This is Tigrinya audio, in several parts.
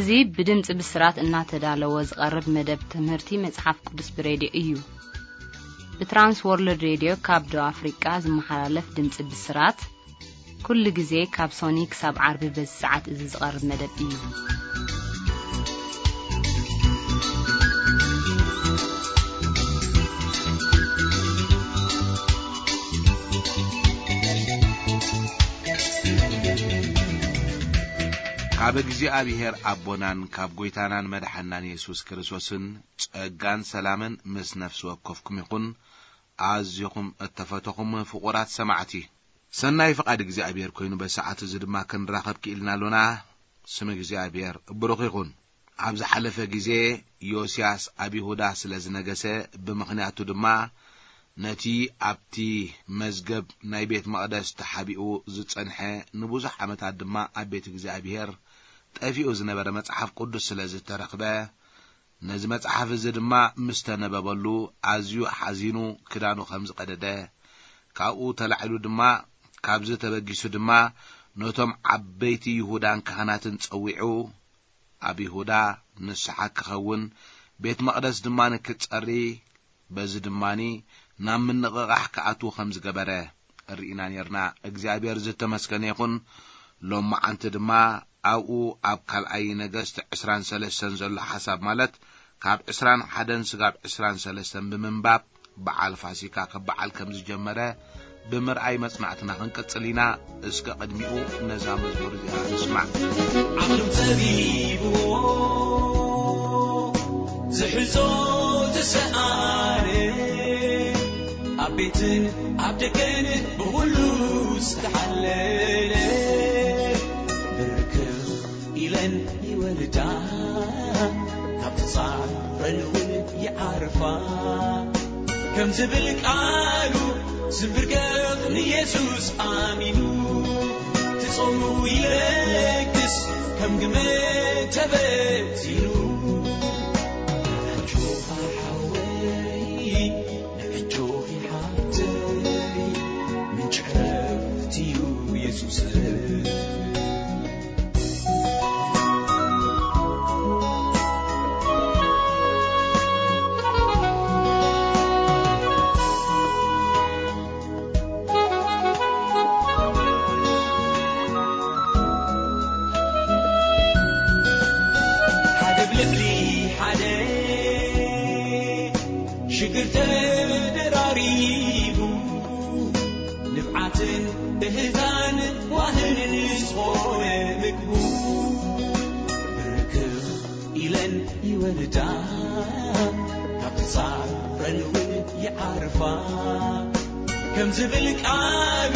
እዚ ብድምጺ ብስራት እናተዳለወ ዝቐርብ መደብ ትምህርቲ መጽሓፍ ቅዱስ ብሬድዮ እዩ። ብትራንስ ወርልድ ሬድዮ ካብ ደቡብ ኣፍሪቃ ዝመሓላለፍ ድምጺ ብስራት፣ ኩሉ ግዜ ካብ ሶኒ ክሳብ ዓርቢ በዚ ሰዓት እዚ ዝቐርብ መደብ እዩ። ካብ እግዚኣብሔር ኣቦናን ካብ ጐይታናን መድሓናን የሱስ ክርስቶስን ጸጋን ሰላምን ምስ ነፍሲ ወከፍኩም ይኹን። ኣዚኹም እተፈተኹም ፍቑራት ሰማዕቲ፣ ሰናይ ፍቓድ እግዚኣብሔር ኮይኑ በሰዓት እዚ ድማ ክንራኸብ ክኢልና ኣሎና። ስም እግዚኣብሔር ብሩኽ ይኹን። ኣብ ዝሓለፈ ግዜ ዮስያስ ኣብ ይሁዳ ስለ ዝነገሰ፣ ብምኽንያቱ ድማ ነቲ ኣብቲ መዝገብ ናይ ቤት መቕደስ ተሓቢኡ ዝጸንሐ፣ ንብዙሕ ዓመታት ድማ ኣብ ቤት እግዚኣብሔር ጠፊኡ ዝነበረ መጽሓፍ ቅዱስ ስለ ዝተረኽበ፣ ነዚ መጽሓፍ እዚ ድማ ምስ ተነበበሉ ኣዝዩ ሓዚኑ ክዳኑ ከም ዝቐደደ፣ ካብኡ ተላዒሉ ድማ ካብዚ ተበጊሱ ድማ ነቶም ዓበይቲ ይሁዳን ካህናትን ጸዊዑ፣ ኣብ ይሁዳ ንስሓ ክኸውን፣ ቤት መቕደስ ድማ ንክጸሪ፣ በዚ ድማኒ ናብ ምንቕቓሕ ክኣትዉ ከም ዝገበረ ርኢና ኔርና። እግዚኣብሔር ዝተመስገነ ይኹን። ሎማዓንቲ ድማ ኣብኡ ኣብ ካልኣይ ነገስት ዕስራን ሰለስተን ዘሎ ሓሳብ፣ ማለት ካብ ዕስራን ሓደን ስጋብ ዕስራን ሰለስተን ብምንባብ በዓል ፋሲካ ክበዓል ከም ዝጀመረ ብምርኣይ መጽናዕትና ክንቅጽል ኢና። እስከ ቅድሚኡ ነዛ መዝሙር እዚኣ ንስማዕ። ዓቕሎም ጸቢብዎ ዝሕዞ ዝሰኣነ፣ ኣብ ቤትን ኣብ ደገን ብኹሉ ዝተሓለለ፣ ብርክኽ ኢለን ይወርዳ፣ ካብ ተጻረን እውን ይዓርፋ። ከም ዝብል ቃሉ ዝንብርከኽ ንየሱስ ኣሚኑ፣ ትጾሙ ይለግስ ከም ግመ ተበቲኑ። ኣጆኻ ሓወይ፣ ንዕጆኺ ሓብተይ፣ ምንጪ ዕረፍቲ እዩ የሱስ። ሓደ ብልዕሊ ሓደ ሽግር ተደራሪቡ፣ ንብዓትን እህዛን ዋህንን ዝኾነ ምግቡ፣ ብርክኽ ኢለን ይወርዳ፣ ካብ ተጻረን እውን ይዓርፋ። ከም ዝብል ቃሉ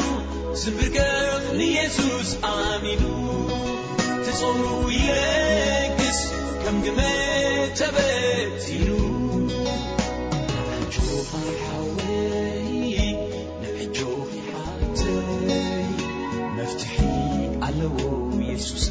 ዝንብርከኽ ንየሱስ ኣሚኑ፣ ትጾሙ ይለግስ ከም ግመ ተበቲኑ። ኣጆኻ ሓወይ፣ ንዕጆኺ ሓብተይ፣ መፍትሒ ኣለዎ የሱስ።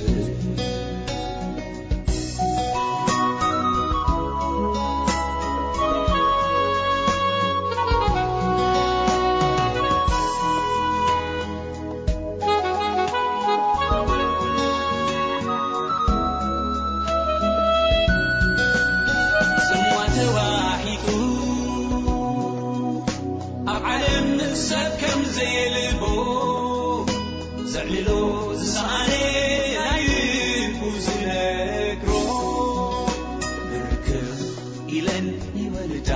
ጽምዋ ተዋሒጡ ኣብ ዓለም ሰብ ከም ዘየልቦ፣ ዘዕልሎ ዝሰኣነ ናይ ልቡ ዝነግሮ፣ ብርክኽ ኢለን ይወርዳ፣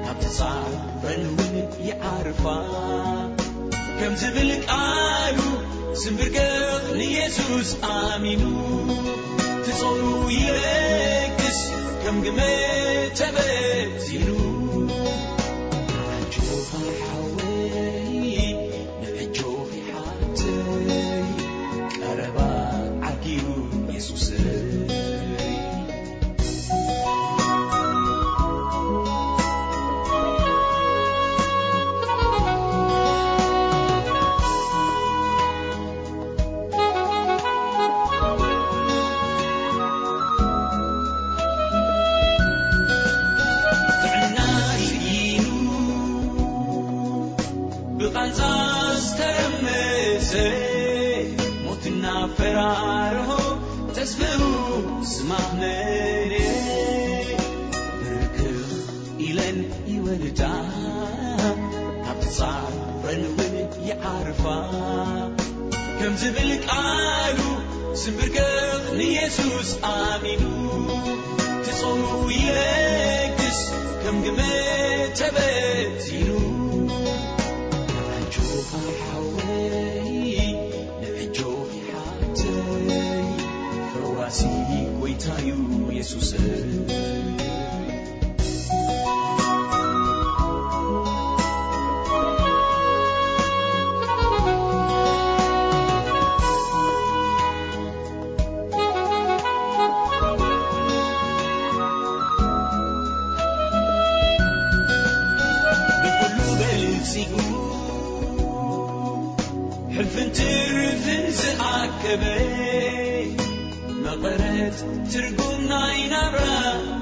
ካብ ተጻረን እውን ይዓርፋ። ከም ዝብል ቃሉ ዝንብርከኽ ንየሱስ ኣሚኑ፣ ትጾሙ ይለግስ ከም ግመ ተበቲኑ። ኣጆኻ ሓወይ፣ ንዕጆኺ ሓብተይ፣ ቀረባ ዓርኪ እዩ የሱሰይ። ጥዕና ስኢኑ ብቓንዛ ዝተረመሰ፣ ሞትና ፈራርሆ ተስፍኡ ዝማመነ ብርክኽ ኢለን ይወልዳ፣ ካብ ጻዕረን እውን ይዓርፋ። ከም ዝብል ቃሉ ዝምብርከኽ ንየሱስ ኣሚኑ፣ ትጾሙ ይለግስ ከም ግመ ተበቲኑ። ንዕጆኻ ሓወይ፣ ንዕጆኺ ሓብተይ፣ ፈዋሲ ጎይታዩ የሱስ። ብኩሉ በልጺጉ፣ ሕልፍን ትርፍን ዝኣከበ፣ መቐረት ትርጉም ናይ ናብራ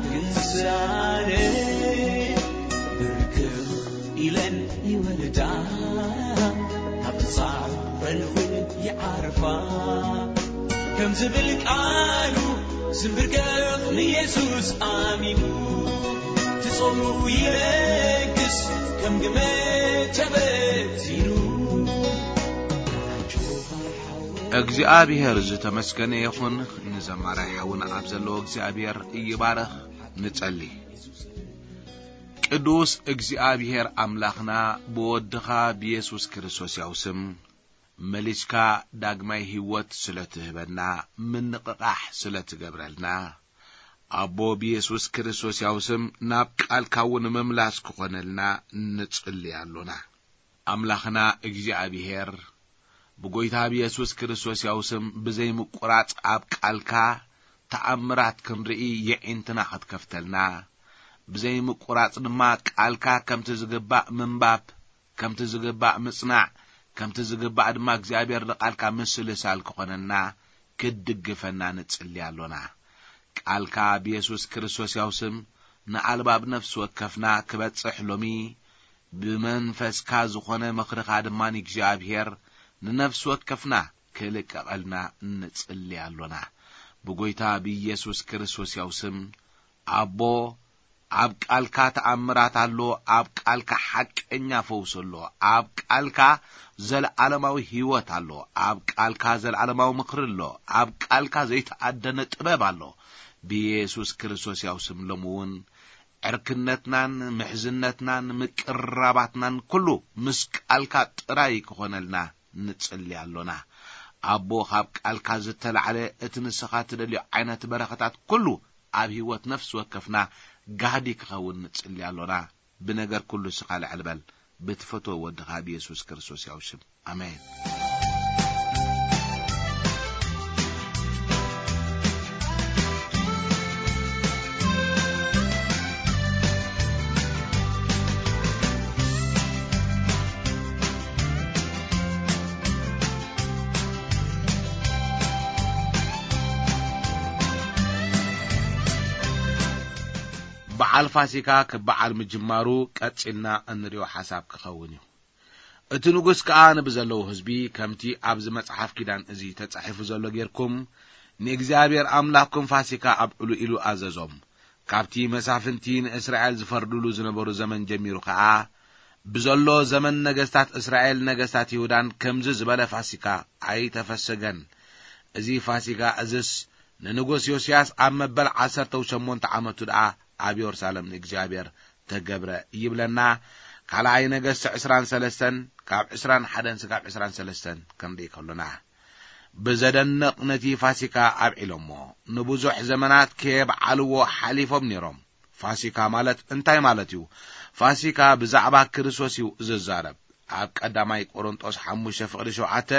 ትንሳኤ፣ ብርክኽ ኢለን ይወልዳ፣ ካብ ጻዕረን እውን ይዓርፋ። ከም ዝብል ቃሉ ዝምብርከኽ ንየሱስ ኣሚኑ፣ ትጾሙ ይለግስ ከም ግመ ተበቲኑ። እግዚኣብሔር ዝተመስገነ ይኹን። ንዘማራይ ሓውና ኣብ ዘለዎ እግዚኣብሔር ይባረኽ። ንጸሊ። ቅዱስ እግዚኣብሔር ኣምላኽና፣ ብወድኻ ብየሱስ ክርስቶስ ያው ስም መሊስካ ዳግማይ ህይወት ስለ ትህበና፣ ምንቕቓሕ ስለ ትገብረልና፣ ኣቦ ብየሱስ ክርስቶስ ያው ስም ናብ ቃልካ እውን ምምላስ ክኾነልና ንጽሊ ኣሎና። ኣምላኽና እግዚኣብሔር፣ ብጎይታ ብየሱስ ክርስቶስ ያው ስም ብዘይምቁራጽ ኣብ ቃልካ ተኣምራት ክንርኢ የዒንትና ክትከፍተልና፣ ብዘይምቁራጽ ድማ ቃልካ ከምቲ ዝግባእ ምንባብ፣ ከምቲ ዝግባእ ምጽናዕ፣ ከምቲ ዝግባእ ድማ እግዚኣብሔር ንቃልካ ምስልሳል ክኾነና፣ ክትድግፈና ንጽሊ ኣሎና። ቃልካ ብየሱስ ክርስቶስ ያው ስም ንኣልባብ ነፍሲ ወከፍና ክበጽሕ ሎሚ፣ ብመንፈስካ ዝኾነ ምኽርኻ ድማ ንእግዚኣብሔር ንነፍሲ ወከፍና ክልቀቐልና ንጽሊ ኣሎና። ብጎይታ ብኢየሱስ ክርስቶስ ያው ስም፣ ኣቦ፣ ኣብ ቃልካ ተኣምራት ኣሎ፣ ኣብ ቃልካ ሓቀኛ ፈውሲ ኣሎ፣ ኣብ ቃልካ ዘለዓለማዊ ህይወት ኣሎ፣ ኣብ ቃልካ ዘለዓለማዊ ምኽሪ ኣሎ፣ ኣብ ቃልካ ዘይተኣደነ ጥበብ ኣሎ። ብኢየሱስ ክርስቶስ ያው ስም ሎሚ እውን ዕርክነትናን ምሕዝነትናን ምቅርራባትናን ኩሉ ምስ ቃልካ ጥራይ ክኾነልና ንጽሊ ኣሎና። ኣቦ፣ ካብ ቃልካ ዝተላዕለ እቲ ንስኻ ትደልዮ ዓይነት በረኸታት ኩሉ ኣብ ህይወት ነፍሲ ወከፍና ጋህዲ ክኸውን ንጽሊ ኣሎና። ብነገር ኩሉ ንስኻ ልዕል በል። ብትፈትዎ ወድኻ ብየሱስ ክርስቶስ ያው ሽም። ኣሜን። በዓል ፋሲካ ክበዓል ምጅማሩ ቀጺልና እንሪኦ ሓሳብ ክኸውን እዩ። እቲ ንጉስ ከኣ ንብዘለዉ ህዝቢ፣ ከምቲ ኣብዚ መጽሓፍ ኪዳን እዚ ተጻሒፉ ዘሎ ጌርኩም፣ ንእግዚኣብሔር ኣምላኽኩም ፋሲካ ኣብዕሉ ኢሉ ኣዘዞም። ካብቲ መሳፍንቲ ንእስራኤል ዝፈርድሉ ዝነበሩ ዘመን ጀሚሩ ከኣ፣ ብዘሎ ዘመን ነገስታት እስራኤል፣ ነገስታት ይሁዳን ከምዚ ዝበለ ፋሲካ ኣይተፈሰገን። እዚ ፋሲካ እዝስ ንንጉስ ዮስያስ ኣብ መበል ዓሰርተ ሸሞንተ ዓመቱ ደኣ ኣብ የሩሳሌም ንእግዚኣብሔር ተገብረ ይብለና። ካልኣይ ነገስት ዕስራን ሰለስተን ካብ ዕስራን ሓደን ስጋብ ዕስራን ሰለስተን ክንርኢ ከሎና፣ ብዘደንቕ ነቲ ፋሲካ ኣብዒሎሞ። ንብዙሕ ዘመናት ከየብዓልዎ ሓሊፎም ነይሮም። ፋሲካ ማለት እንታይ ማለት እዩ? ፋሲካ ብዛዕባ ክርስቶስ እዩ ዝዛረብ። ኣብ ቀዳማይ ቆሮንጦስ ሓሙሽተ ፍቕዲ ሸውዓተ፣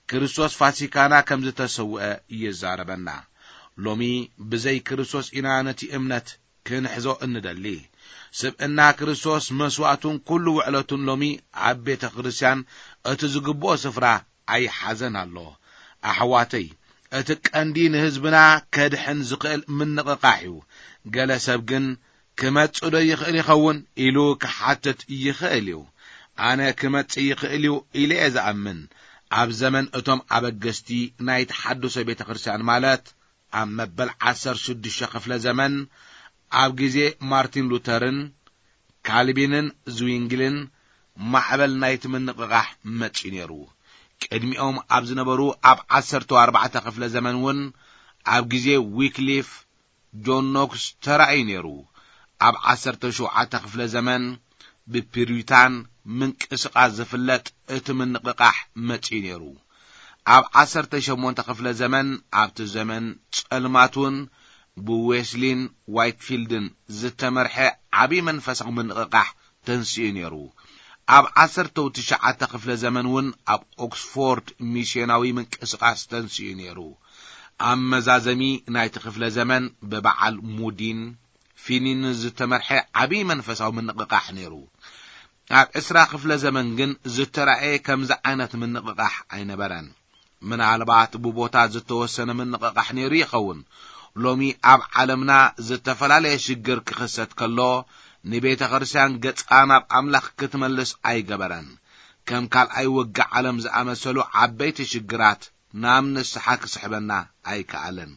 ክርስቶስ ፋሲካና ከም ዝተሰውአ ይዛረበና። ሎሚ ብዘይ ክርስቶስ ኢና ነቲ እምነት ክንሕዞ እንደሊ። ስብእና ክርስቶስ መስዋእቱን ኩሉ ውዕለቱን ሎሚ ኣብ ቤተ ክርስቲያን እቲ ዝግብኦ ስፍራ ኣይሓዘን ኣሎ። ኣሕዋተይ፣ እቲ ቀንዲ ንህዝብና ከድሕን ዝኽእል ምንቕቓሕ እዩ። ገለ ሰብ ግን ክመጽእ ዶ ይኽእል ይኸውን ኢሉ ክሓትት ይኽእል እዩ። ኣነ ክመጽእ ይኽእል እዩ ኢለ እየ ዝኣምን። ኣብ ዘመን እቶም ኣበገስቲ ናይ ተሓድሶ ቤተ ክርስቲያን ማለት ኣብ መበል ዓሰርተ ሽዱሽተ ክፍለ ዘመን፣ ኣብ ግዜ ማርቲን ሉተርን ካልቪንን ዝዊንግልን፣ ማዕበል ናይቲ ምንቕቓሕ መጺኡ ነይሩ። ቅድሚኦም ኣብ ዝነበሩ ኣብ ዓሰርተ ኣርባዕተ ክፍለ ዘመን እውን፣ ኣብ ግዜ ዊክሊፍ ጆን ኖክስ ተራእዩ ነይሩ። ኣብ ዓሰርተ ሸውዓተ ክፍለ ዘመን ብፒሪታን ምንቅስቓስ ዝፍለጥ እቲ ምንቕቓሕ መጺኡ ነይሩ። ኣብ ዓሰርተ ሸሞንተ ክፍለ ዘመን፣ ኣብቲ ዘመን ጸልማት እውን፣ ብዌስሊን ዋይትፊልድን ዝተመርሐ ዓቢ መንፈሳዊ ምንቕቓሕ ተንሲኡ ነይሩ። ኣብ ዓሰርተው ትሽዓተ ክፍለ ዘመን እውን ኣብ ኦክስፎርድ ሚስዮናዊ ምንቅስቓስ ተንሲኡ ነይሩ። ኣብ መዛዘሚ ናይቲ ክፍለ ዘመን ብበዓል ሙዲን ፊኒን ዝተመርሐ ዓቢ መንፈሳዊ ምንቕቓሕ ነይሩ። ኣብ ዕስራ ክፍለ ዘመን ግን ዝተራእየ ከምዚ ዓይነት ምንቕቓሕ ኣይነበረን። ምናልባት ብቦታ ዝተወሰነ ምንቕቓሕ ነይሩ ይኸውን። ሎሚ ኣብ ዓለምና ዝተፈላለየ ሽግር ክኽሰት ከሎ፣ ንቤተ ክርስቲያን ገጻ ናብ ኣምላኽ ክትመልስ ኣይገበረን። ከም ካልኣይ ውግእ ዓለም ዝኣመሰሉ ዓበይቲ ሽግራት ናብ ንስሓ ክስሕበና ኣይከኣለን።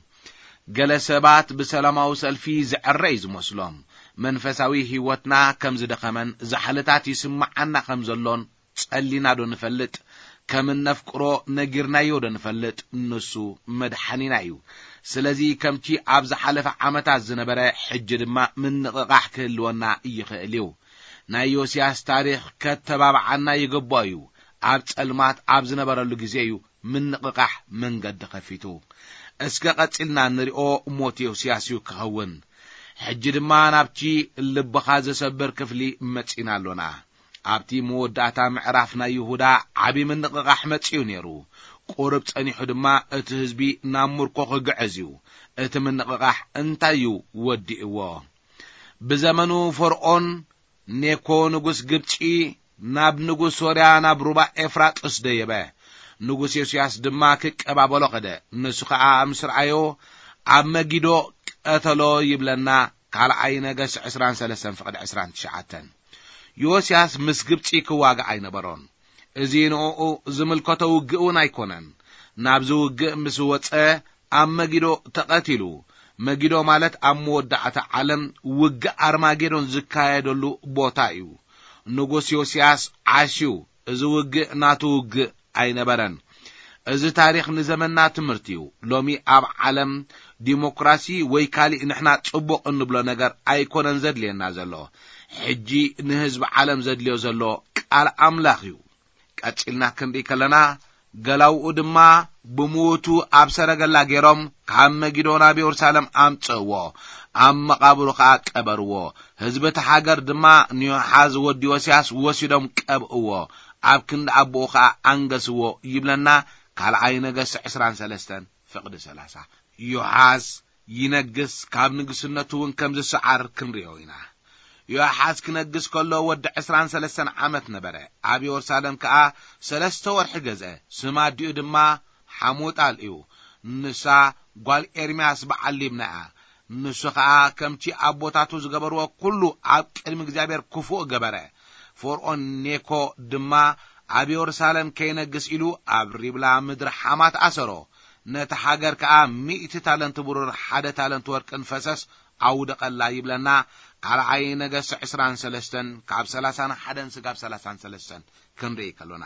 ገለ ሰባት ብሰላማዊ ሰልፊ ዝዕረ እዩ ዝመስሎም። መንፈሳዊ ህይወትና ከም ዝደኸመን ዛሕልታት ይስምዓና ከም ዘሎን ጸሊና ዶ ንፈልጥ? ከም እነፍቅሮ ነጊርናዮ ዶ ንፈልጥ? ንሱ መድሓኒና እዩ። ስለዚ ከምቲ ኣብ ዝሓለፈ ዓመታት ዝነበረ፣ ሕጂ ድማ ምንቕቓሕ ክህልወና ይኽእል እዩ። ናይ ዮስያስ ታሪኽ ከተባብዓና ይግብኦ እዩ። ኣብ ጸልማት ኣብ ዝነበረሉ ግዜ እዩ ምንቕቓሕ መንገዲ ከፊቱ። እስከ ቀጺልና እንሪኦ ሞት ዮስያስ እዩ ክኸውን። ሕጂ ድማ ናብቲ ልብኻ ዘሰብር ክፍሊ መጺና ኣሎና። ኣብቲ መወዳእታ ምዕራፍ ናይ ይሁዳ ዓቢ ምንቕቓሕ መጺኡ ነይሩ። ቁሩብ ጸኒሑ ድማ እቲ ህዝቢ ናብ ምርኮ ክግዕዝ እዩ። እቲ ምንቕቓሕ እንታይ እዩ ወዲእዎ? ብዘመኑ ፈርዖን ኔኮ ንጉስ ግብጺ ናብ ንጉስ ሶርያ ናብ ሩባ ኤፍራጥስ ደየበ። ንጉስ ዮስያስ ድማ ክቀባበሎ ኸደ። ንሱ ኸኣ ምስ ረኣዮ ኣብ መጊዶ ቀተሎ ይብለና። ካልኣይ ነገስ ዕስራን ሰለስተን ፍቕዲ ዕስራን ትሽዓተን። ዮስያስ ምስ ግብጺ ክዋጋእ ኣይነበሮን። እዚ ንእኡ ዝምልከቶ ውግእ እውን ኣይኮነን። ናብዚ ውግእ ምስ ወጸ ኣብ መጊዶ ተቐቲሉ። መጊዶ ማለት ኣብ መወዳእታ ዓለም ውግእ ኣርማጌዶን ዝካየደሉ ቦታ እዩ። ንጉስ ዮስያስ ዓሽዩ፣ እዚ ውግእ ናቱ ውግእ ኣይነበረን። እዚ ታሪኽ ንዘመንና ትምህርቲ እዩ። ሎሚ ኣብ ዓለም ዲሞክራሲ ወይ ካሊእ ንሕና ጽቡቕ እንብሎ ነገር ኣይኮነን ዘድልየና ዘሎ። ሕጂ ንህዝቢ ዓለም ዘድልዮ ዘሎ ቃል ኣምላኽ እዩ። ቀጺልና ክንርኢ ከለና፣ ገላውኡ ድማ ብምዉቱ ኣብ ሰረገላ ገይሮም ካብ መጊዶ ናብ የሩሳሌም ኣምጽእዎ፣ ኣብ መቓብሩ ኸኣ ቀበርዎ። ህዝቢ እቲ ሃገር ድማ ንዮሓዝ ወዲ ዮስያስ ወሲዶም ቀብእዎ፣ ኣብ ክንዲ ኣቦኡ ኸኣ ኣንገስዎ ይብለና። ካልኣይ ነገስት ዕስራን ሰለስተን ፍቕዲ ሰላሳ። ዮሓዝ ይነግስ፣ ካብ ንግስነቱ እውን ከም ዝሰዓር ክንሪኦ ኢና። ዮኣሓዝ ክነግስ ከሎ ወዲ ዕስራን ሰለስተን ዓመት ነበረ። ኣብ የሩሳሌም ከኣ ሰለስተ ወርሒ ገዝአ። ስም ኣዲኡ ድማ ሓሙጣል እዩ። ንሳ ጓል ኤርምያስ በዓል ሊብና እያ። ንሱ ኸኣ ከምቲ ኣቦታቱ ዝገበርዎ ኩሉ ኣብ ቅድሚ እግዚኣብሔር ክፉእ ገበረ። ፈርዖን ኔኮ ድማ ኣብ የሩሳሌም ከይነግስ ኢሉ ኣብ ሪብላ ምድሪ ሓማት ኣሰሮ። ነታ ሃገር ከኣ ሚእቲ ታለንት ብሩር ሓደ ታለንት ወርቅን ፈሰስ ኣውደቐላ ይብለና። ካልኣይ ነገስት ዕስራን ሰለስተን ካብ ሰላሳን ሓደን ስጋብ ሰላሳን ሰለስተን ክንርኢ ከሎና፣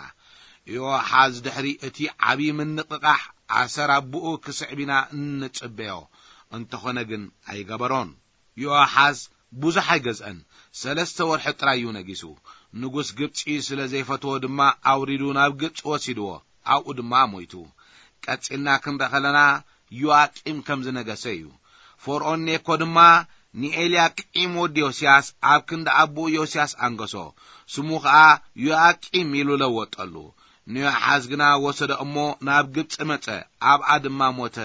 ዮኣሓዝ ድሕሪ እቲ ዓብዪ ምንቕቓሕ ኣሰር ኣቦኡ ክስዕብ ኢና እንጽበዮ። እንተኾነ ግን ኣይገበሮን። ዮኣሓዝ ብዙሕ ኣይገዝአን፣ ሰለስተ ወርሒ ጥራይ እዩ ነጊሱ። ንጉስ ግብጺ ስለ ዘይፈትዎ ድማ ኣውሪዱ ናብ ግብጺ ወሲድዎ፣ ኣብኡ ድማ ሞይቱ። ቀጺልና ክንርኢ ከለና ዮኣቂም ከም ዝነገሰ እዩ። ፈርዖን ኔኮ ድማ ንኤልያቂም ወዲ ዮስያስ ኣብ ክንዲ ኣቦኡ ዮስያስ ኣንገሶ። ስሙ ኸኣ ዮኣቂም ኢሉ ለወጠሉ። ንዮኣሓዝ ግና ወሰዶ እሞ ናብ ግብጺ መጸ፣ ኣብኣ ድማ ሞተ።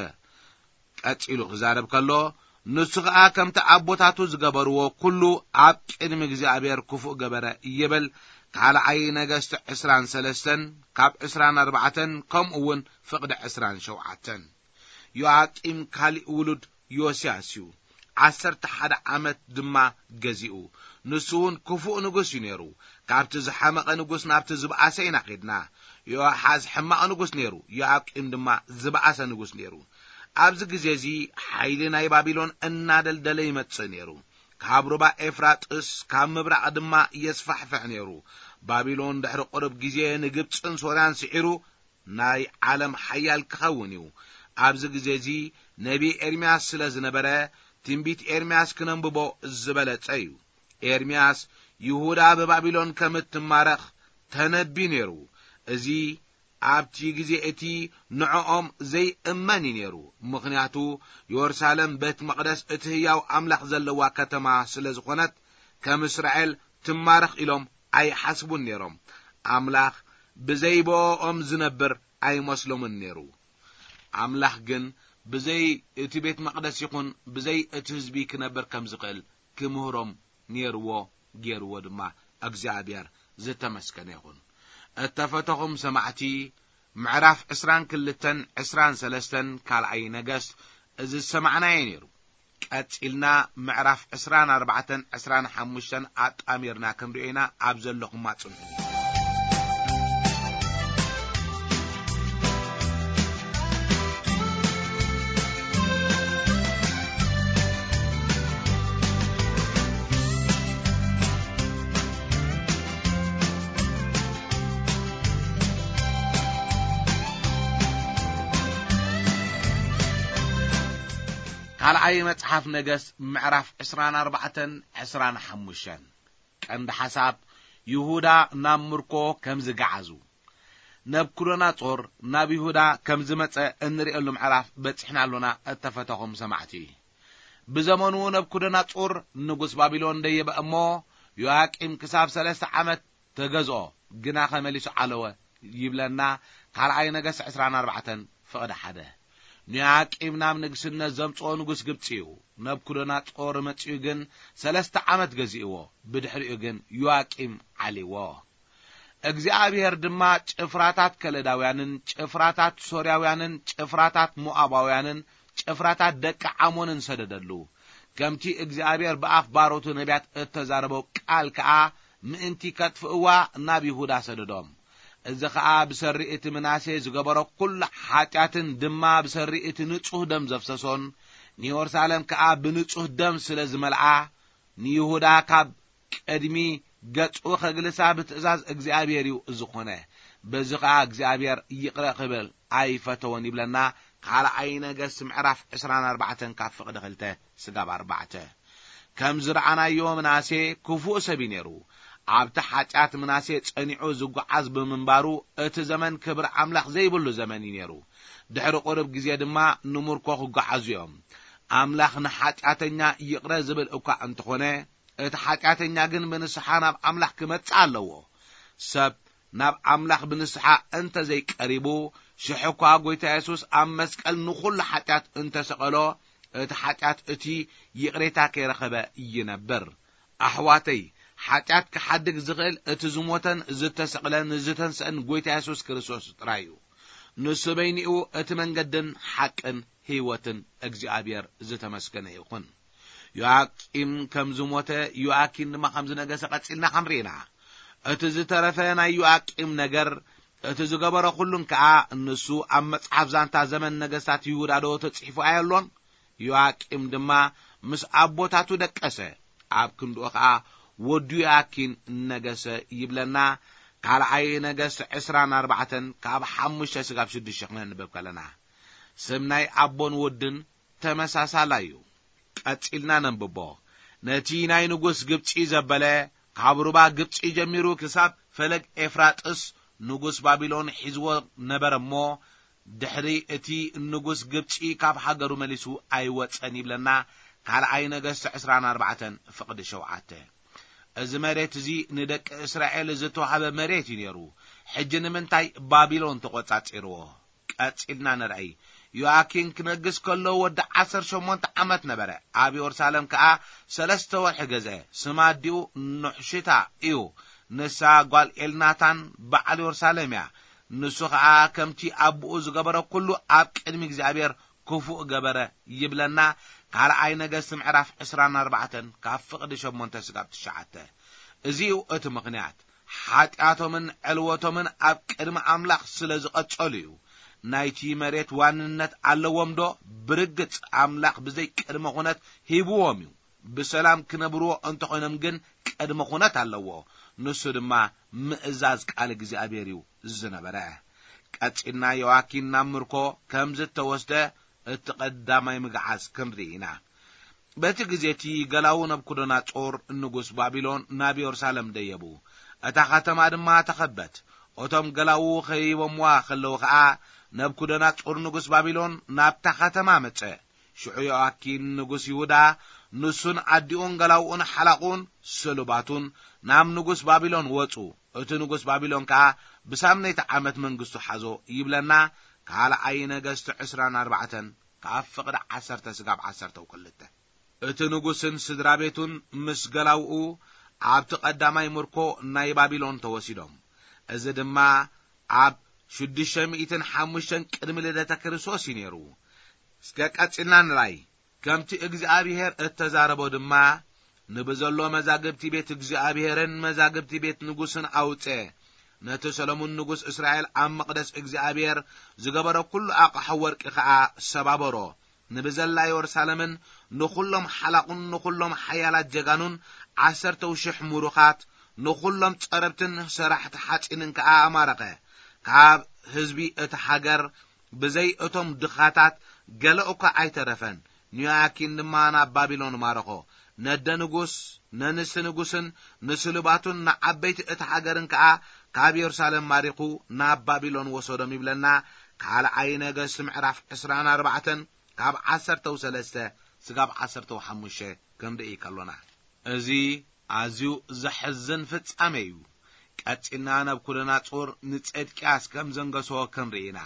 ቀጺሉ ክዛረብ ከሎ፣ ንሱ ኸኣ ከምቲ ኣቦታቱ ዝገበርዎ ኩሉ ኣብ ቅድሚ እግዚኣብሔር ክፉእ ገበረ ይብል። ካልኣይ ነገስት ዕስራን ሰለስተን ካብ ዕስራን ኣርባዕተን ከምኡ እውን ፍቕዲ ዕስራን ሸውዓተን። ዮኣቂም ካሊእ ውሉድ ዮስያስ እዩ። ዓሰርተ ሓደ ዓመት ድማ ገዚኡ። ንሱ እውን ክፉእ ንጉስ እዩ ነይሩ። ካብቲ ዝሓመቐ ንጉስ ናብቲ ዝበኣሰ ኢና ኸድና። ዮኣሓዝ ሕማቕ ንጉስ ነይሩ፣ ዮኣቂም ድማ ዝበኣሰ ንጉስ ነይሩ። ኣብዚ ግዜ እዚ ሓይሊ ናይ ባቢሎን እናደልደለ ይመጽእ ነይሩ። ካብ ሩባ ኤፍራጥስ፣ ካብ ምብራቕ ድማ የስፋሕፍሕ ነይሩ። ባቢሎን ድሕሪ ቁሩብ ግዜ ንግብጽን ሶርያን ስዒሩ ናይ ዓለም ሓያል ክኸውን እዩ። ኣብዚ ግዜ እዚ ነቢ ኤርምያስ ስለ ዝነበረ፣ ትንቢት ኤርምያስ ክነንብቦ ዝበለጸ እዩ። ኤርምያስ ይሁዳ ብባቢሎን ከም እትማረኽ ተነቢ ነይሩ። እዚ ኣብቲ ግዜ እቲ ንዕኦም ዘይእመን እዩ ነይሩ። ምኽንያቱ፣ የሩሳሌም ቤት መቕደስ እቲ ህያው ኣምላኽ ዘለዋ ከተማ ስለ ዝኾነት፣ ከም እስራኤል ትማረኽ ኢሎም ኣይሓስቡን ነይሮም። ኣምላኽ ብዘይ ብኦም ዝነብር ኣይመስሎምን ነይሩ። ኣምላኽ ግን ብዘይ እቲ ቤት መቕደስ ይኹን ብዘይ እቲ ህዝቢ ክነብር ከም ዝኽእል ክምህሮም ነይርዎ፣ ገይርዎ ድማ። እግዚኣብሔር ዝተመስገነ ይኹን። እተፈተኹም ሰማዕቲ፣ ምዕራፍ ዕስራን ክልተን ዕስራን ሰለስተን ካልኣይ ነገስት እዚ ዝሰማዕናዮ ነይሩ። ቀጺልና ምዕራፍ ዕስራን ኣርባዕተን ዕስራን ሓሙሽተን ኣጣሚርና ክንርእዮ ኢና። ኣብ ዘለኹማ ጽንሑ። ካልኣይ መጽሓፍ ነገስት ምዕራፍ ዕስራን ኣርባዕተን ዕስራን ሓሙሽተን። ቀንዲ ሓሳብ፣ ይሁዳ ናብ ምርኮ ከም ዝገዓዙ። ነብኩደናጾር ናብ ይሁዳ ከም ዝመጸ እንርእየሉ ምዕራፍ በጺሕና ኣሎና፣ እተፈተኹም ሰማዕቲ። ብዘመኑ ነብኩደናጾር ንጉስ ባቢሎን ደየበ እሞ፣ ዮያቂም ክሳብ ሰለስተ ዓመት ተገዝኦ፣ ግናኸ መሊሱ ዓለወ ይብለና። ካልኣይ ነገስት ዕስራን ኣርባዕተን ፍቕዲ ሓደ። ንዮያቂም ናብ ንግስነት ዘምጽኦ ንጉስ ግብጺ እዩ። ነብኩደናጾር መጺኡ ግን ሰለስተ ዓመት ገዚእዎ፣ ብድሕሪኡ ግን ዮያቂም ዓሊዎ። እግዚኣብሔር ድማ ጭፍራታት ከለዳውያንን ጭፍራታት ሶርያውያንን ጭፍራታት ሞዓባውያንን ጭፍራታት ደቂ ዓሞንን ሰደደሉ። ከምቲ እግዚኣብሔር ብኣፍ ባሮቱ ነቢያት እተዛረቦ ቃል ከኣ ምእንቲ ከጥፍእዋ ናብ ይሁዳ ሰደዶም። እዚ ኸኣ ብሰሪ እቲ ምናሴ ዝገበሮ ኵሉ ሓጢኣትን ድማ ብሰሪ እቲ ንጹህ ደም ዘፍሰሶን፣ ንየሩሳሌም ከኣ ብንጹህ ደም ስለ ዝመልኣ፣ ንይሁዳ ካብ ቅድሚ ገጹ ኸግልሳ ብትእዛዝ እግዚኣብሔር እዩ ዝኾነ። በዚ ኸኣ እግዚኣብሔር ይቕረ ኽብል ኣይፈተወን ይብለና። ካልኣይ ነገስት ምዕራፍ ዕስራን ኣርባዕተን ካብ ፍቕዲ ክልተ ስጋብ ኣርባዕተ። ከም ዝረኣናዮ ምናሴ ክፉእ ሰብ እዩ ነይሩ። ኣብቲ ሓጢኣት ምናሴ ጸኒዑ ዝጓዓዝ ብምንባሩ እቲ ዘመን ክብሪ ኣምላኽ ዘይብሉ ዘመን እዩ ነይሩ። ድሕሪ ቁሩብ ግዜ ድማ ንምርኮ ክጓዓዙ እዮም። ኣምላኽ ንሓጢኣተኛ ይቕረ ዝብል እኳ እንተኾነ፣ እቲ ሓጢኣተኛ ግን ብንስሓ ናብ ኣምላኽ ክመጽእ ኣለዎ። ሰብ ናብ ኣምላኽ ብንስሓ እንተ ዘይቀሪቡ፣ ሽሕ እኳ ጐይታ የሱስ ኣብ መስቀል ንኹሉ ሓጢኣት እንተ ሰቐሎ፣ እቲ ሓጢኣት እቲ ይቕሬታ ከይረኸበ ይነብር። ኣሕዋተይ፣ ሓጢኣት ክሓድግ ዝኽእል እቲ ዝሞተን ዝተሰቕለን ዝተንስአን ጐይታ የሱስ ክርስቶስ ጥራይ እዩ። ንሱ በይኒኡ እቲ መንገድን ሓቅን ህይወትን እግዚኣብሔር ዝተመስገነ ይኹን። ዮኣቂም ከም ዝሞተ፣ ዮኣኪን ድማ ከም ዝነገሰ ቀጺልና ክንርኢ ኢና። እቲ ዝተረፈ ናይ ዮኣቂም ነገር፣ እቲ ዝገበሮ ኩሉን ከኣ፣ ንሱ ኣብ መጽሓፍ ዛንታ ዘመን ነገስታት ይሁዳ ዶ ተጽሒፉ ኣየሎን? ዮኣቂም ድማ ምስ ኣቦታቱ ደቀሰ፣ ኣብ ክንድኡ ከኣ ወዱ ዮኣኪን ነገሰ ይብለና። ካልኣይ ነገስት ዕስራን ኣርባዕተን ካብ ሓሙሽተ ስጋብ ሽዱሽተ ክነንብብ ከለና፣ ስም ናይ ኣቦን ወድን ተመሳሳላይ እዩ። ቀጺልና ነንብቦ። ነቲ ናይ ንጉስ ግብጺ ዘበለ፣ ካብ ሩባ ግብጺ ጀሚሩ ክሳብ ፈለግ ኤፍራጥስ ንጉስ ባቢሎን ሒዝዎ ነበረ እሞ፣ ድሕሪ እቲ ንጉስ ግብጺ ካብ ሃገሩ መሊሱ ኣይወጸን ይብለና። ካልኣይ ነገስት ዕስራን ኣርባዕተን ፍቕዲ ሸውዓተ። እዚ መሬት እዚ ንደቂ እስራኤል ዝተዋህበ መሬት እዩ ነይሩ። ሕጂ ንምንታይ ባቢሎን ተቖጻጺርዎ? ቀጺልና ንርኣይ። ዮኣኪን ክነግስ ከሎ ወዲ ዓሰርተ ሸሞንተ ዓመት ነበረ። ኣብ የሩሳሌም ከኣ ሰለስተ ወርሒ ገዝአ። ስም ኣዲኡ ኑሕሽታ እዩ። ንሳ ጓል ኤልናታን በዓል የሩሳሌም እያ። ንሱ ኸኣ ከምቲ ኣቦኡ ዝገበረ ኩሉ ኣብ ቅድሚ እግዚኣብሔር ክፉእ ገበረ ይብለና። ካልኣይ ነገስት ምዕራፍ ዕስራን ኣርባዕተን ካብ ፍቕዲ ሸሞንተ ስጋብ ትሽዓተ። እዚ እዩ እቲ ምኽንያት። ሓጢኣቶምን ዕልወቶምን ኣብ ቅድሚ ኣምላኽ ስለ ዝቐጸሉ እዩ። ናይቲ መሬት ዋንነት ኣለዎም ዶ? ብርግጽ ኣምላኽ ብዘይ ቅድመ ኩነት ሂብዎም እዩ። ብሰላም ክነብርዎ እንተኾይኖም ግን ቅድመ ኩነት ኣለዎ። ንሱ ድማ ምእዛዝ ቃል እግዚኣብሔር እዩ ዝነበረ። ቀጺልና ዮኣኪን ናብ ምርኮ ከም ዝተወስደ እቲ ቀዳማይ ምግዓዝ ክንርኢ ኢና። በቲ ግዜ እቲ ገላዉ ነብኩደናጾር ንጉስ ባቢሎን ናብ የሩሳሌም ደየቡ። እታ ከተማ ድማ ተኸበት። እቶም ገላዉ ከይቦምዋ ከለዉ ኸኣ ነብኩደናጾር ንጉስ ባቢሎን ናብታ ከተማ መጸ። ሽዑ ዮኣኪን ንጉስ ይሁዳ ንሱን ኣዲኡን ገላውኡን ሓላቑን ስሉባቱን ናብ ንጉስ ባቢሎን ወጹ። እቲ ንጉስ ባቢሎን ከኣ ብሳምነይቲ ዓመት መንግስቱ ሓዞ ይብለና። ካልኣይ ነገስቲ ዕስራን ኣርባዕተን ካብ ፍቕዲ ዓሰርተ ስጋብ ዓሰርተ ክልተ። እቲ ንጉስን ስድራ ቤቱን ምስ ገላውኡ ኣብቲ ቀዳማይ ምርኮ ናይ ባቢሎን ተወሲዶም። እዚ ድማ ኣብ ሽዱሽተ ሚእትን ሓሙሽተን ቅድሚ ልደተ ክርስቶስ እዩ ነይሩ። እስከ ቀጺልና ንራይ። ከምቲ እግዚኣብሔር እተዛረቦ ድማ፣ ንብዘሎ መዛግብቲ ቤት እግዚኣብሔርን መዛግብቲ ቤት ንጉስን ኣውጸ። ነቲ ሰሎሞን ንጉስ እስራኤል ኣብ መቕደስ እግዚኣብሔር ዝገበሮ ኩሉ ኣቕሑ ወርቂ ኸኣ ሰባበሮ። ንብዘላ የሩሳሌምን ንኹሎም ሓላቑን ንኹሎም ሓያላት ጀጋኑን ዓሰርተው ሽሕ ምሩኻት፣ ንኹሎም ጸረብትን ሰራሕቲ ሓጺንን ከኣ ኣማረኸ። ካብ ህዝቢ እቲ ሃገር ብዘይ እቶም ድኻታት ገለ እኳ ኣይተረፈን። ንዮኣኪን ድማ ናብ ባቢሎን ማረኾ። ነደ ንጉስ፣ ነንስቲ ንጉስን ንስሉባቱን ንዓበይቲ እቲ ሃገርን ከኣ ካብ የሩሳሌም ማሪኹ ናብ ባቢሎን ወሰዶም ይብለና። ካልኣይ ነገስት ምዕራፍ ዕስራን ኣርባዕተን ካብ ዓሰርተው ሰለስተ ስጋብ ዓሰርተው ሓሙሽተ ክንርኢ ከሎና፣ እዚ ኣዝዩ ዘሕዝን ፍጻሜ እዩ። ቀጺልና ነብኩደናጾር ንጼድቅያስ ከም ዘንገሶ ክንርኢ ኢና።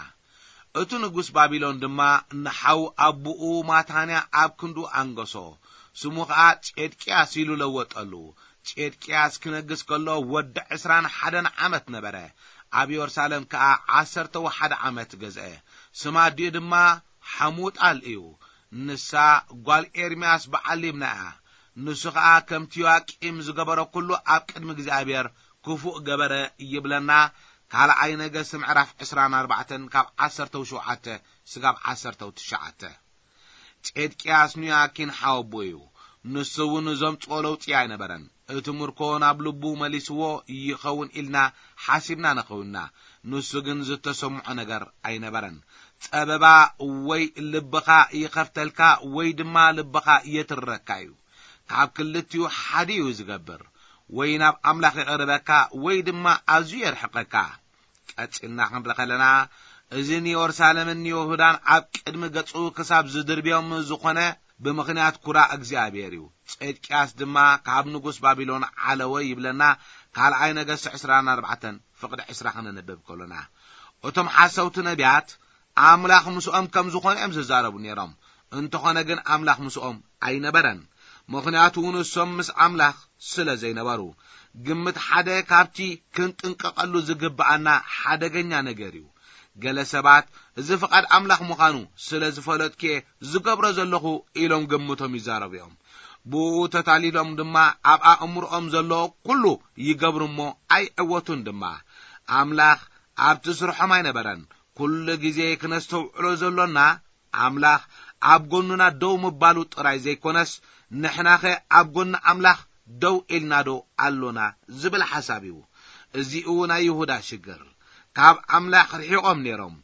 እቲ ንጉስ ባቢሎን ድማ ንሓው ኣቦኡ ማታንያ ኣብ ክንዱ ኣንገሶ። ስሙ ኸኣ ጼድቅያስ ኢሉ ለወጠሉ። ጼድቅያስ ክነግስ ከሎ ወዲ ዕስራን ሓደን ዓመት ነበረ። ኣብ የሩሳሌም ከኣ ዓሰርተው ሓደ ዓመት ገዝአ። ስም ኣዲኡ ድማ ሓሙጣል እዩ። ንሳ ጓል ኤርምያስ በዓል ሊብና እያ። ንሱ ኸኣ ከምቲ ዮኣቂም ዝገበሮ ኩሉ ኣብ ቅድሚ እግዚኣብሔር ክፉእ ገበረ ይብለና። ካልኣይ ነገስት ምዕራፍ ዕስራን ኣርባዕተን ካብ ዓሰርተው ሸውዓተ ስጋብ ዓሰርተው ትሽዓተ። ጼድቅያስ ንዮኣኪን ሓወቦ እዩ። ንሱ እውን ዘምጽኦ ለውጢ ኣይነበረን። እቲ ምርኮ ናብ ልቡ መሊስዎ ይኸውን ኢልና ሓሲብና ንኸውንና። ንሱ ግን ዝተሰምዖ ነገር ኣይነበረን። ጸበባ ወይ ልብኻ ይኸፍተልካ ወይ ድማ ልብኻ የትርረካ እዩ። ካብ ክልቲኡ ሓደ እዩ ዝገብር። ወይ ናብ ኣምላኽ የቕርበካ ወይ ድማ ኣዝዩ የርሕቐካ። ቀጺልና ክንርኢ ከለና፣ እዚ ንየሩሳሌምን ንይሁዳን ኣብ ቅድሚ ገጹ ክሳብ ዝድርብዮም ዝኾነ ብምኽንያት ኩራ እግዚኣብሔር እዩ። ጼድቅያስ ድማ ካብ ንጉስ ባቢሎን ዓለወ ይብለና። ካልኣይ ነገስት ዕስራን ኣርባዕተን ፍቕዲ ዕስራ ክንንብብ ከሎና፣ እቶም ሓሰውቲ ነቢያት ኣምላኽ ምስኦም ከም ዝኾነ እዮም ዝዛረቡ ነይሮም። እንተኾነ ግን ኣምላኽ ምስኦም ኣይነበረን። ምኽንያቱ ንሶም ምስ ኣምላኽ ስለ ዘይነበሩ። ግምት ሓደ ካብቲ ክንጥንቀቐሉ ዝግብኣና ሓደገኛ ነገር እዩ። ገለ ሰባት እዚ ፍቓድ ኣምላኽ ምዃኑ ስለ ዝፈለጥኩ እየ ዝገብሮ ዘለኹ ኢሎም ግምቶም ይዛረቡ እዮም። ብኡ ተታሊሎም ድማ ኣብ ኣእምሮኦም ዘሎ ኩሉ ይገብሩ እሞ ኣይዕወቱን ድማ። ኣምላኽ ኣብቲ ስርሖም ኣይነበረን። ኩሉ ግዜ ክነስተውዕሎ ዘሎና ኣምላኽ ኣብ ጎንና ደው ምባሉ ጥራይ ዘይኮነስ፣ ንሕናኸ ኣብ ጎኒ ኣምላኽ ደው ኢልናዶ ኣሎና ዝብል ሓሳብ እዩ። እዚኡ ናይ ይሁዳ ሽግር። ካብ ኣምላኽ ርሒቖም ነይሮም፣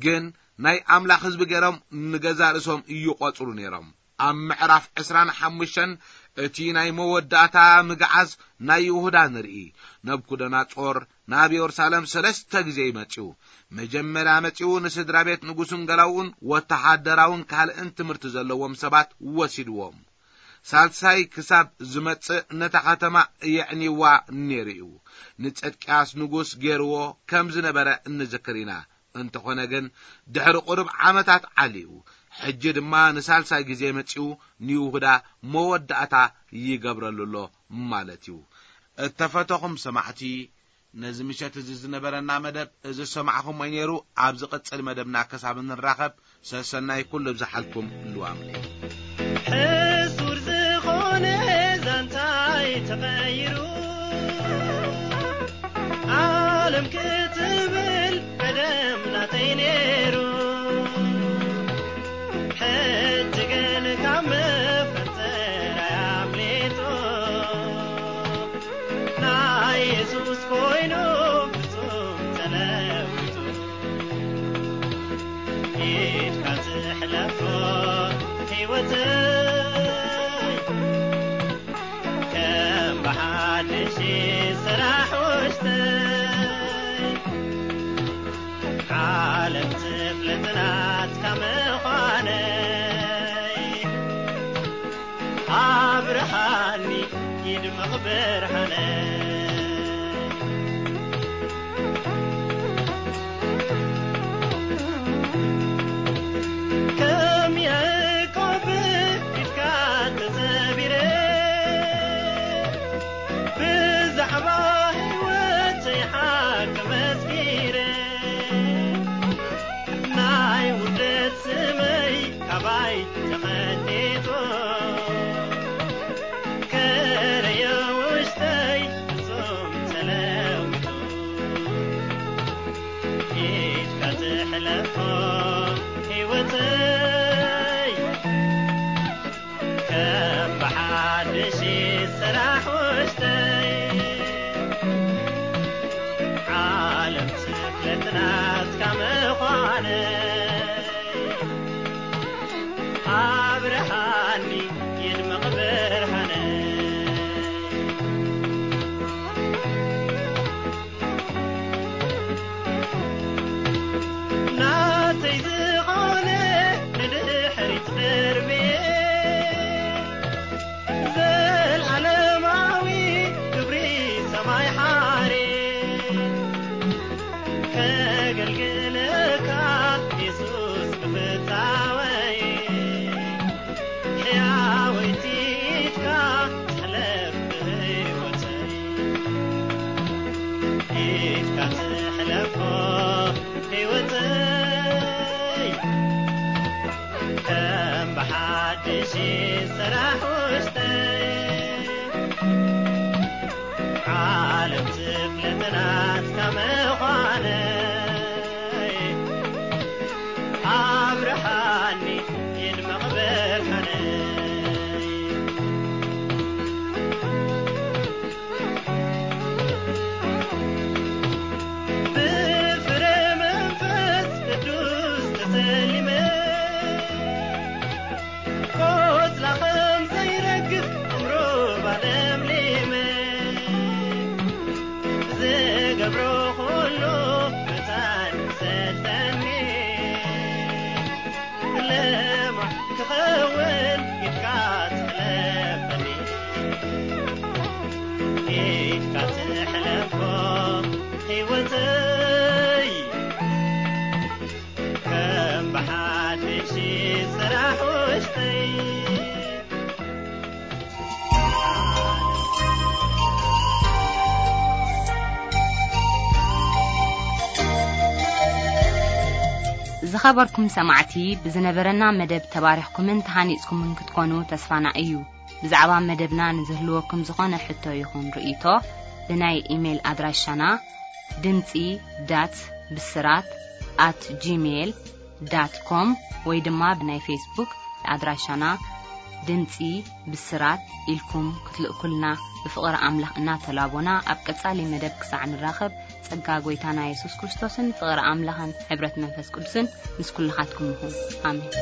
ግን ናይ ኣምላኽ ህዝቢ ገይሮም ንገዛ ርእሶም ይቖጽሩ ነይሮም። ኣብ ምዕራፍ ዕስራን ሓሙሽተን እቲ ናይ መወዳእታ ምግዓዝ ናይ ይሁዳ ንርኢ። ነብኩደናጾር ናብ የሩሳሌም ሰለስተ ግዜ እዩ መጺኡ። መጀመርያ መጺኡ ንስድራ ቤት ንጉስን ገላውኡን ወተሃደራውን ካልእን ትምህርቲ ዘለዎም ሰባት ወሲድዎም። ሳልሳይ ክሳብ ዝመጽእ ነታ ከተማ የዕንይዋ ነይሩ እዩ። ንጸድቅያስ ንጉስ ገይርዎ ከም ዝነበረ እንዝክር ኢና። እንተኾነ ግን ድሕሪ ቁሩብ ዓመታት ዓልዩ። ሕጂ ድማ ንሳልሳይ ግዜ መጺኡ ንይሁዳ መወዳእታ ይገብረሉ ኣሎ ማለት እዩ። እተፈተኹም ሰማዕቲ፣ ነዚ ምሸት እዚ ዝነበረና መደብ እዚ ዝሰማዕኹሞ እዩ ነይሩ። ኣብ ዝቕጽል መደብና ክሳብ እንራኸብ ሰሰናይ ኩሉ ብዝሓልኩም ልዋምኒ። ሕሱር ዝኾነ ዛንታይ ተቐይሩ፣ ዓለም ክትብል ቀደም ናተይ ነይሩ። ሕይወተይ ከም ብሓድሽ ስራሕ ውሽጠይ ዓለም ትፍለጥ ናትካ ምዃነይ ኣብርሃኒ ይድምቕ ብርሃነይ። ከም ያዕቆብ ኢድካ ተጸቢረ ብዛዕባ ህይወተይ ሓቂ መስኪረ ናይ ውርደት ስመይ ካባይ ተቐዲጡ ከረዮ ውሽጠይ ፍጹም ተለዊጡ ኢድካ ትሕለፎ ህይወተይ ከም ብሓድሽ ስራሕ ውሽጠይ ዓለም ስፍለት ናትካ ምዃነይ ኣብርሃኒ ይድምቕ ብርሃነይ። ናተይ ዝኾነ ንድሕሪት ደርብየ ዘልኣለማዊ ክብሪ ሰማይ ሓርየ ከገልግለካ የሱስ ብፍታወይ ሕያወይቲ ኢድካ ትሕለፍ ብህይወተይ ኢድካ ትሕለፎ ህይወተይ ከም ብሓድሽ ስራሕ ውሽጠይ ዓለም ትፍለጥ ናትካ ምዃነይ ኣብርሃኒ ይድመቕ ብርሃነይ። ብፍረ መንፈስ ቅዱስ ተሰሊመ ቆጽላ ከም ዘይረግፍ ዕምሩባ ለምሊመ ዝገብሮ ኩሉ መታን ይሰልጠኒ ለማ ክኸውን ኢድካ ትሕለፈኒ ኢድካ ትሕለፎ ህይወተይ ከም ብሓድሽ ስራሕ ውሽጠይ። ዝኸበርኩም ሰማዕቲ፣ ብዝነበረና መደብ ተባሪኽኩምን ተሃኒጽኩምን ክትኮኑ ተስፋና እዩ። ብዛዕባ መደብና ንዝህልወኩም ዝኾነ ሕቶ ይኹን ርእይቶ፣ ብናይ ኢሜይል ኣድራሻና ድምጺ ዳት ብስራት ኣት ጂሜይል ዳት ኮም ወይ ድማ ብናይ ፌስቡክ ኣድራሻና ድምጺ ብስራት ኢልኩም ክትልእኩልና ብፍቕሪ ኣምላኽ እናተላቦና፣ ኣብ ቀጻሊ መደብ ክሳዕ ንራኸብ፣ ጸጋ ጐይታና የሱስ ክርስቶስን ፍቕሪ ኣምላኽን ሕብረት መንፈስ ቅዱስን ምስ ኩልኻትኩም ይኹን። ኣሜን።